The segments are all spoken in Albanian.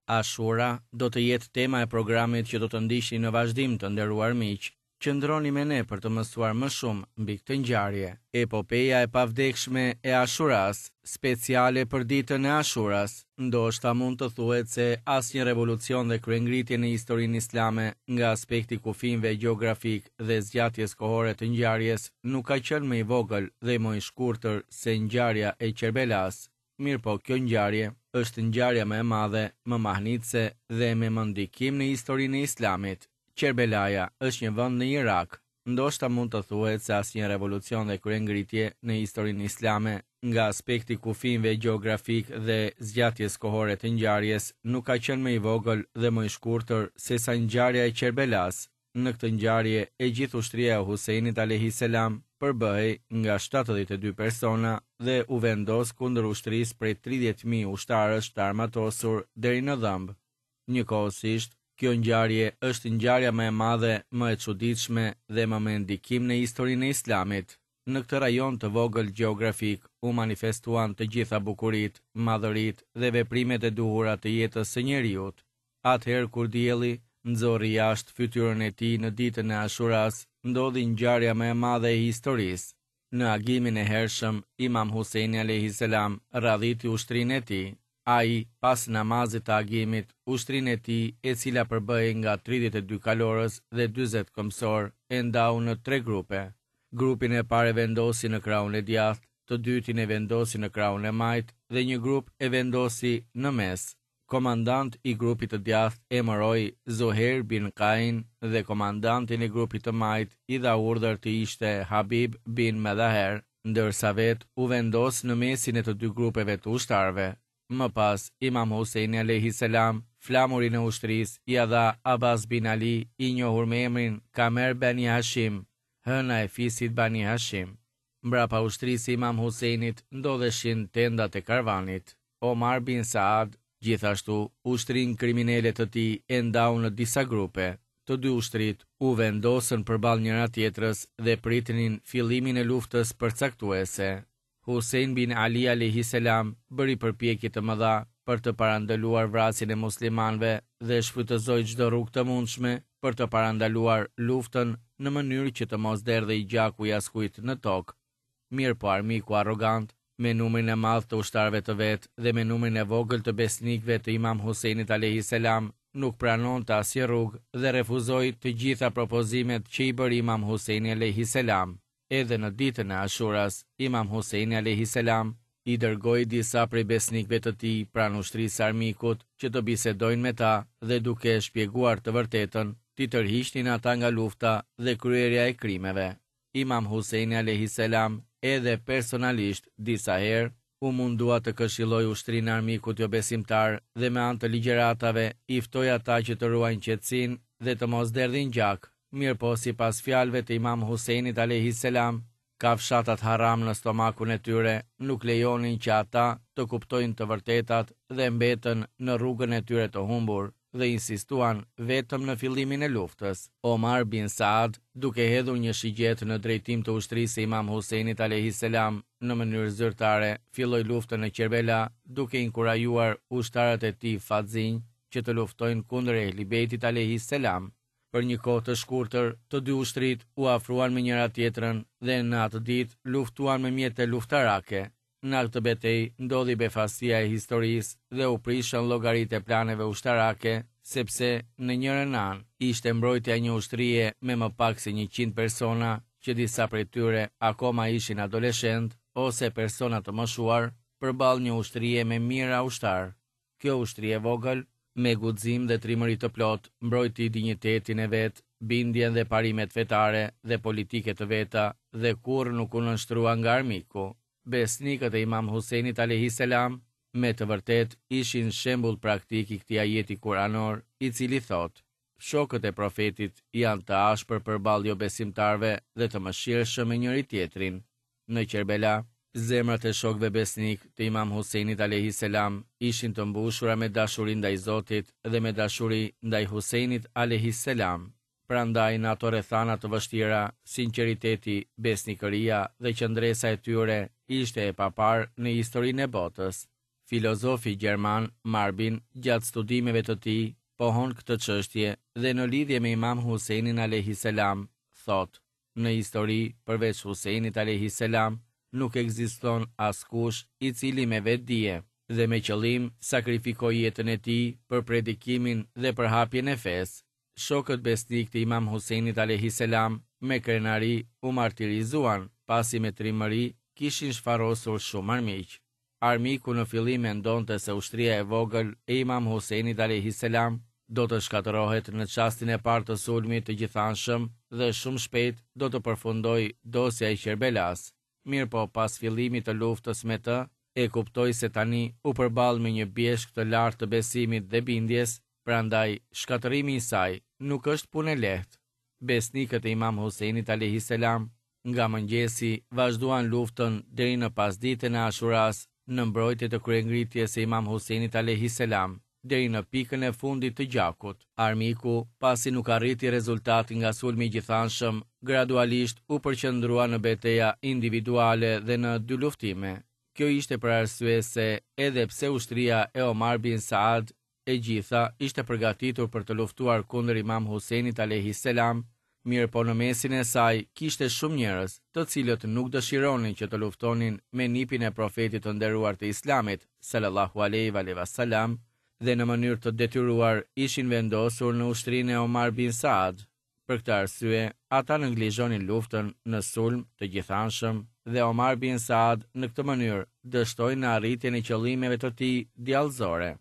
Ashura do të jetë tema e programit që do të ndiqni në vazhdim të nderuar miq. Qëndroni me ne për të mësuar më shumë mbi këtë ngjarje. Epopeja e pavdekshme e Ashuras, speciale për ditën e Ashuras. Ndoshta mund të thuhet se asnjë revolucion dhe kryengritje në historinë islame nga aspekti i kufinjve gjeografikë dhe zgjatjes kohore të ngjarjes nuk ka qenë më i vogël dhe më i shkurtër se ngjarja e Qerbelasë. Mirëpo kjo ngjarje është ngjarja më e madhe, më mahnitëse dhe me më ndikim në historinë e Islamit. Qerbelaja është një vend në Irak. Ndoshta mund të thuhet se asnjë revolucion dhe kryengritje në historinë islame, nga aspekti i kufinjve gjeografikë dhe zgjatjes kohore të ngjarjes, nuk ka qenë më i vogël dhe më i shkurtër sesa ngjarja e Qerbelasë. Në këtë ngjarje e gjithë ushtria e Husejnit alejhi selam përbëhej nga 72 persona dhe u vendos kundër ushtrisë prej 30.000 ushtarësh të armatosur deri në dhëmbë. Njëkohësisht, kjo ngjarje është ngjarja më e madhe, më e çuditshme dhe më me ndikim në historinë e Islamit. Në këtë rajon të vogël gjeografik u manifestuan të gjitha bukuritë, madhëritë dhe veprimet e duhura të jetës së njeriut. Atëherë kur dielli nxorri jashtë fytyrën e tij në ditën e Ashuras, ndodhi ngjarja më e madhe e historisë. Në agimin e hershëm, Imam Husejni alejhi selam radhiti ushtrinë e tij. Ai, pas namazit të agimit, ushtrinë e tij, e cila përbëhej nga 32 kalorës dhe 40 këmbësorë, e ndau në tre grupe. Grupin e parë e vendosi në krahun e djathtë, të dytin e vendosi në krahun e majtë dhe një grup e vendosi në mes. Komandant i grupit të djathtë emëroi Zuhejr bin Kain dhe komandantin e grupit të majtë i dha urdhër të ishte Habib bin Medhaher, ndërsa vetë u vendos në mesin e të dy grupeve të ushtarëve. Më pas, Imam Husejni alejhi selam, flamurin e ushtrisë ia dha Abbas bin Ali, i njohur me emrin Kamer Bani Hashim, hëna e fisit Bani Hashim. Mbrapa ushtrisë së Imam Husejnit ndodheshin tendat e karvanit. Omar bin Saad, gjithashtu, ushtrinë kriminele të tij e ndau në disa grupe. Të dy ushtritë u vendosën përballë njëra-tjetrës dhe pritnin fillimin e luftës përcaktuese. Husejn bin Ali alejhi selam bëri përpjekje të mëdha për të parandaluar vrasjen e muslimanëve dhe shfrytëzoi çdo rrugë të mundshme për të parandaluar luftën në mënyrë që të mos derdhej gjaku i askujt në tokë. Mirëpo armiku arrogant, me numrin e madh të ushtarëve të vet dhe me numrin e vogël të besnikëve të Imam Husejnit alejhi selam, nuk pranonte asnjë rrugë dhe refuzoi të gjitha propozimet që i bëri Imam Husejni alejhi selam. Edhe në ditën e Ashuras, Imam Husejni alejhi selam i dërgoi disa prej besnikëve të tij pranë ushtrisë së armikut që të bisedojnë me ta dhe duke shpjeguar të vërtetën, t'i tërhiqnin ata nga lufta dhe kryerja e krimeve. Imam Husejni alejhi selam edhe personalisht disa herë u mundua të këshillojë ushtrinë e armikut jobesimtar dhe me anë të ligjëratave i ftoi ata që të ruajnë qetësinë dhe të mos derdhin gjak, mirëpo sipas fjalëve të Imam Husejnit alejhi selam, kafshatat haram në stomakun e tyre nuk lejonin që ata të kuptojnë të vërtetat dhe mbetën në rrugën e tyre të humbur dhe insistuan vetëm në fillimin e luftës. Omar bin Saad, duke hedhur një shigjetë në drejtim të ushtrisë së Imam Husejnit alejhi selam, në mënyrë zyrtare filloi luftën në Qerbela, duke inkurajuar ushtarët e tij fatzinj që të luftojnë kundër Ehli Bejtit alejhi selam. Për një kohë të shkurtër, të dy ushtritë u afruan me njëra-tjetrën dhe në atë ditë luftuan me mjete luftarake. Në atë betejë ndodhi befasia e historisë dhe u prishën llogaritë e planeve ushtarake, sepse në njërën anë ishte mbrojtja e një ushtrie me më pak se 100 persona, që disa prej tyre akoma ishin adoleshentë ose persona të moshuar, përballë një ushtrie me mijëra ushtarë. Kjo ushtri e vogël, me guxim dhe trimëri të plotë, mbrojti dinjitetin e vet, bindjen dhe parimet fetare dhe politike të veta dhe kurrë nuk u nënshtrua nga armiku. Besnikët e Imam Husejnit alejhi selam, me të vërtetë ishin shembull praktik i këtij ajeti kuranor, i cili thotë, Shokët e Profetit janë të ashpër përballë jobesimtarëve dhe të mëshirshëm me njëri-tjetrin. Në Qerbela, zemrat e shokëve besnikë të Imam Husejnit alejhi selam ishin të mbushura me dashuri ndaj Zotit dhe me dashuri ndaj Husejnit alejhi selam. Prandaj në ato rrethana të vështira, sinqeriteti, besnikëria dhe qëndresa e tyre ishte e paparë në historinë e botës. Filozofi gjerman Marbin gjatë studimeve të tij pohon këtë çështje dhe në lidhje me Imam Husejnin alejhi selam thotë, Në histori, përveç Husejnit alejhi selam, nuk ekziston askush i cili me vetëdije dhe me qëllim sakrifikoi jetën e tij për predikimin dhe përhapjen e fesë. Shokët besnikë të Imam Husejnit alejhi selam me krenari u martirizuan, pasi me trimëri kishin shfarosur shumë armiq. Armiku në fillim mendonte se ushtria e vogël e Imam Husejnit alejhi selam do të shkatërrohet në çastin e parë të sulmit të gjithanshëm dhe shumë shpejt do të përfundojë dosja e Qerbelasë. Mirëpo pas fillimit të luftës me të, e kuptoi se tani u përball me një bjeshkë të lartë të besimit dhe bindjes, prandaj shkatërrimi i saj nuk është punë e lehtë. Besnikët e Imam Husejnit alejhi selam Nga mëngjesi vazhduan luftën deri në pasditen e Ashurasë në mbrojtje të kryengritjes së Imam Husejnit alejhi selam, deri në pikën e fundit të gjakut. Armiku, pasi nuk arriti rezultat nga sulmi i gjithanshëm, gradualisht u përqendrua në beteja individuale dhe në dyluftime. Kjo ishte për arsye se, edhe pse ushtria e Omar bin Saad e gjitha ishte përgatitur për të luftuar kundër Imam Husejnit alejhi selam, mirëpo në mesin e saj kishte shumë njerëz, të cilët nuk dëshironin që të luftonin me nipin e Profetit të nderuar të Islamit, sallallahu alejhi ve selam, dhe në mënyrë të detyruar ishin vendosur në ushtrinë e Omar bin Saad. Për këtë arsye, ata neglizhonin luftën në sulm të gjithanshëm dhe Omar bin Saad në këtë mënyrë dështoi në arritjen e qëllimeve të tij djallëzore.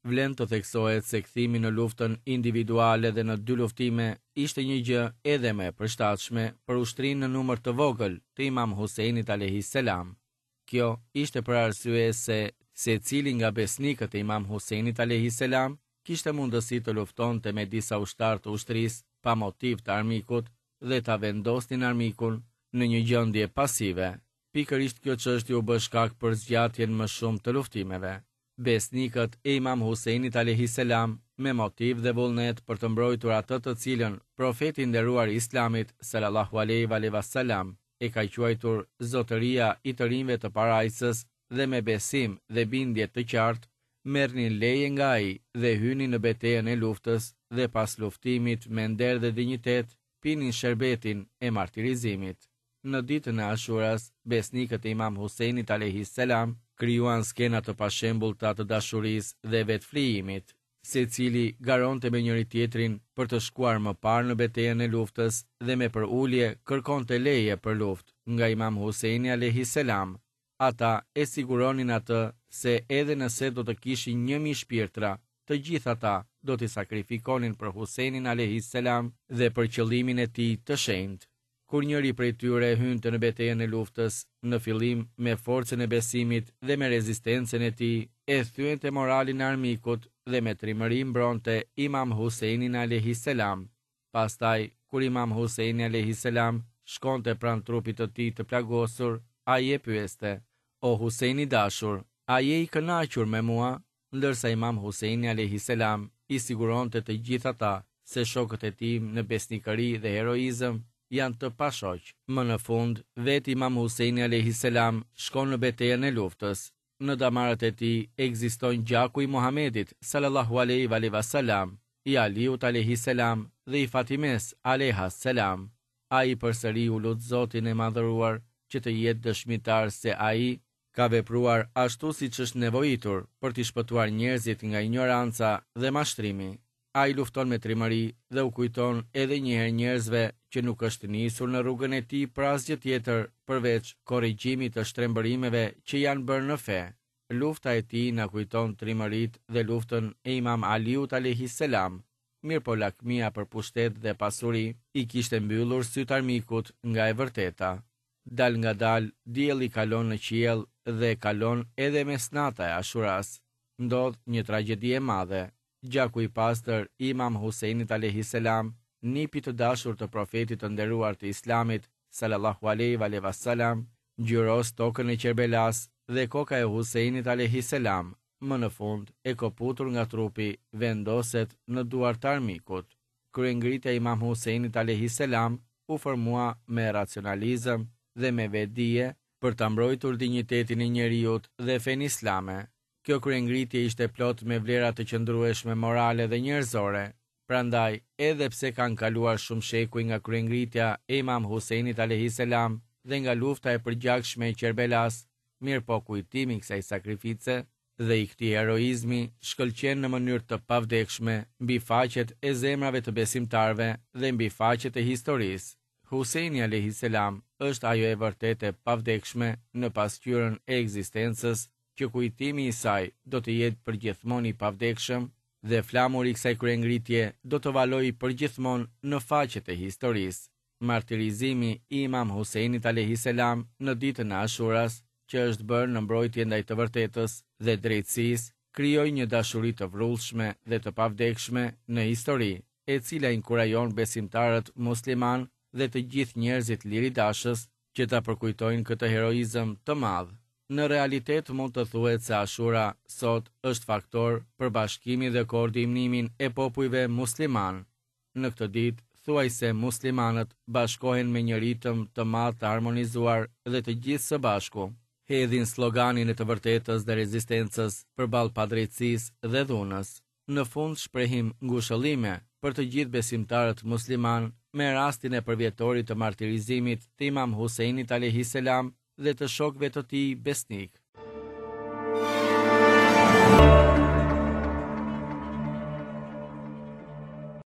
Vlen të theksohet se kthimi në luftën individuale dhe në dyluftime ishte një gjë edhe më e përshtatshme për ushtrinë në numër të vogël të Imam Husejnit alejhi selam. Kjo ishte për arsye se secili nga besnikët e Imam Husejnit alejhi selam kishte mundësi të luftonte me disa ushtarë të ushtrisë pa motiv të armikut dhe ta vendosnin armikun në një gjendje pasive. Pikërisht kjo çështje u bë shkak për zgjatjen më shumë të luftimeve. Besnikët e Imam Husejnit alejhi selam me motiv dhe vullnet për të mbrojtur atë të cilën Profeti i nderuar i Islamit sallallahu alejhi ve selam e ka quajtur zotëria i të rinjve të parajsës dhe me besim dhe bindje të qartë merrnin leje nga ai dhe hynin në betejën e luftës dhe pas luftimit me nder dhe dinjitet pinin sherbetin e martirizimit. Në ditën e Ashuras, besnikët e Imam Husejnit alejhi selam krijuan skena të pashembullta të dashurisë dhe vetëflijimit. Secili garonte me njëri-tjetrin për të shkuar më parë në betejën e luftës dhe me përulje kërkonte leje për luftë nga Imam Husejni alejhi selam. Ata e siguronin atë se edhe nëse do të kishin 1000 shpirtra, të gjithë ata do t'i sakrifikonin për Husejnin alejhi selam dhe për qëllimin e tij të shenjtë. Kur njëri prej tyre hynte në betejën e luftës, në fillim me forcën e besimit dhe me rezistencën e tij, e thyente moralin e armikut dhe me trimëri mbronte Imam Husejnin alejhi selam. Pastaj, kur Imam Husejni alejhi selam shkonte pranë trupit të tij të plagosur, ai e pyeste, O Husejn i dashur, a je i kënaqur me mua? Ndërsa Imam Husejni alejhi selam i siguronte të gjithë ata se shokët e tij në besnikëri dhe heroizëm janë të pashoq. Më në fund, vetë Imam Husejni alejhi selam shkon në betejën e luftës. Në damarët e tij ekziston gjaku i Muhamedit, sallallahu alejhi ve selam, i Aliut alejhi selam dhe i Fatimes alejha selam. Ai përsëri u lut Zotin e Madhëruar që të jetë dëshmitar se ai ka vepruar ashtu siç është nevojitur për t'i shpëtuar njerëzit nga injoranca dhe mashtrimi. Ai lufton me trimëri dhe u kujton edhe një herë njerëzve që nuk është nisur në rrugën e tij për asgjë tjetër përveç korrigjimit të shtrembërimeve që janë bërë në fe. Lufta e tij na kujton trimëritë dhe luftën e Imam Aliut alejhi selam, mirëpo lakmia për pushtet dhe pasuri i kishte mbyllur sytë armikut nga e vërteta. Dalngadalë, dielli kalon në qiell dhe kalon edhe mesnata e Ashuras. Ndodh një tragjedi e madhe. Gjaku i pastër i Imam Husejnit alejhi selam, nipit të dashur të Profetit të nderuar të Islamit, sallallahu alejhi ve selam, ngjyros tokën e Qerbelasë dhe koka e Husejnit alejhi selam, më në fund, e këputur nga trupi, vendoset në duar të armikut. Kryengritja e Imam Husejnit alejhi selam u formua me racionalizëm dhe me vetëdije për ta mbrojtur dinjitetin e njeriut dhe fenë islame. Kjo kryengritje ishte plot me vlera të qëndrueshme morale dhe njerëzore. Prandaj, edhe pse kanë kaluar shumë shekuj nga kryengritja e Imam Husejnit alejhi selam dhe nga lufta e përgjakshme e Qerbelasë, mirëpo kujtimi i kësaj sakrifice dhe i këtij heroizmi shkëlqen në mënyrë të pavdekshme mbi faqet e zemrave të besimtarëve dhe mbi faqet e historisë. Husejni alejhi selam është ajo e vërtetë e pavdekshme në pasqyrën e ekzistencës që kujtimi i saj do të jetë përgjithmonë i pavdekshëm dhe flamuri i kësaj kryengritje do të valojë përgjithmonë në faqet e historisë. Martirizimi i Imam Husejnit alejhi selam në ditën e Ashuras, që është bërë në mbrojtje ndaj të vërtetës dhe drejtësisë, krijoi një dashuri të vrullshme dhe të pavdekshme në histori, e cila inkurajon besimtarët muslimanë dhe të gjithë njerëzit liridashës që ta përkujtojnë këtë heroizëm të madh. Në realitet mund të thuhet se Ashura sot është faktor për bashkimin dhe koordinimin e popujve muslimanë. Në këtë ditë, thuajse muslimanët bashkohen me një ritëm të madh të harmonizuar dhe të gjithë së bashku, hedhin sloganin e të vërtetës dhe rezistencës përballë padrejtësisë dhe dhunës. Në fund shprehim ngushëllime për të gjithë besimtarët muslimanë me rastin e përvjetorit të martirizimit të Imam Husejnit alejhi selam dhe të shokëve të tij besnikë.